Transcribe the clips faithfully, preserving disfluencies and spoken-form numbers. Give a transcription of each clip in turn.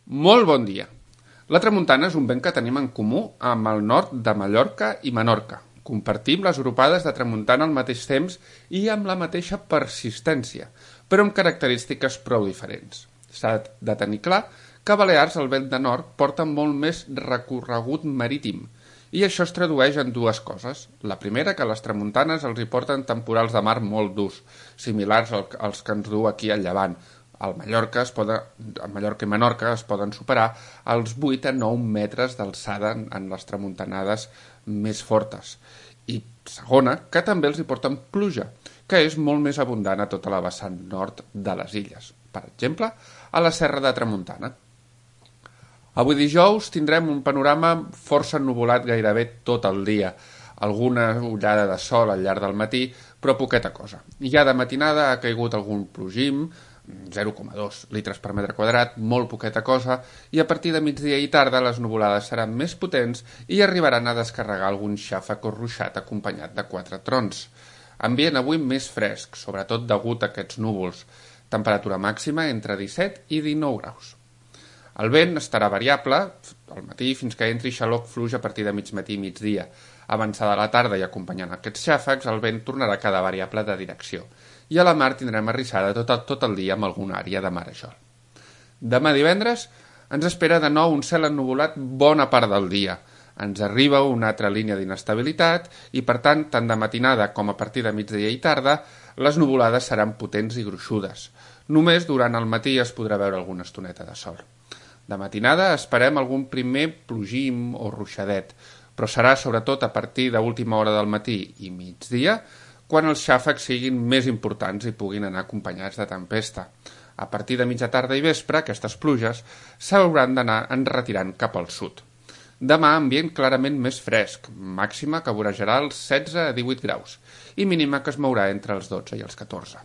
Molt bon dia. La tramuntana és un vent que tenim en comú amb el nord de Mallorca i Menorca. Compartim les gropades de tramuntana al mateix temps i amb la mateixa persistència, però amb característiques prou diferents. S'ha de tenir clar que a Balears el vent de nord porta molt més recorregut marítim, i això es tradueix en dues coses. La primera, que les tramuntanes els hi porten temporals de mar molt durs, similars als que ens du aquí al Llevant. Al Mallorca, es poden, a Mallorca i Menorca es poden superar els vuit a nou metres d'alçada en, en les tramuntanades més fortes. I segona, que també els hi porten pluja, que és molt més abundant a tota la vessant nord de les illes. Per exemple, a la Serra de Tramuntana. Avui dijous tindrem un panorama força ennuvolat gairebé tot el dia. Alguna ullada de sol al llarg del matí, però poqueta cosa. Ja de matinada ha caigut algun plogim, zero coma dos litres per metre quadrat, molt poqueta cosa, i a partir de migdia i tarda les nuvolades seran més potents i arribaran a descarregar algun xàfec o ruixat acompanyat de quatre trons. Ambient avui més fresc, sobretot degut a aquests núvols. Temperatura màxima entre disset i dinou graus. El vent estarà variable al matí fins que entri xaloc fluix a partir de mig matí i migdia. Avançada la tarda i acompanyant aquests xàfecs, el vent tornarà a quedar variable de direcció. I a la mar tindrem arrissada tot el, tot el dia amb alguna àrea de marejol. Demà divendres ens espera de nou un cel ennuvolat bona part del dia. Ens arriba una altra línia d'inestabilitat i, per tant, tant de matinada com a partir de migdia i tarda, les nuvolades seran potents i gruixudes. Només durant el matí es podrà veure alguna estoneta de sol. De matinada esperem algun primer plogim o ruixadet, però serà sobretot a partir de l'última hora del matí i migdia quan els xàfecs siguin més importants i puguin anar acompanyats de tempesta. A partir de mitja tarda i vespre, aquestes pluges s'hauran d'anar enretirant cap al sud. Demà ambient clarament més fresc, màxima que vorejarà els setze a divuit graus i mínima que es mourà entre els dotze i els catorze.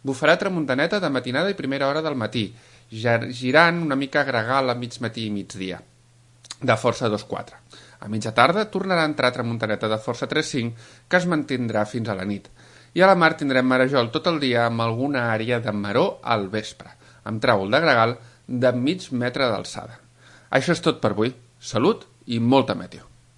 Bufarà tramuntaneta de matinada i primera hora del matí, girant una mica gregal a mig matí i migdia, de força dos quatre. A mitja tarda tornarà a entrar tramuntaneta de força tres cinc, que es mantindrà fins a la nit. I a la mar tindrem marejol tot el dia amb alguna àrea de maror al vespre, amb tràvol de gregal de mig metre d'alçada. Això és tot per avui. Salut i molta meteo.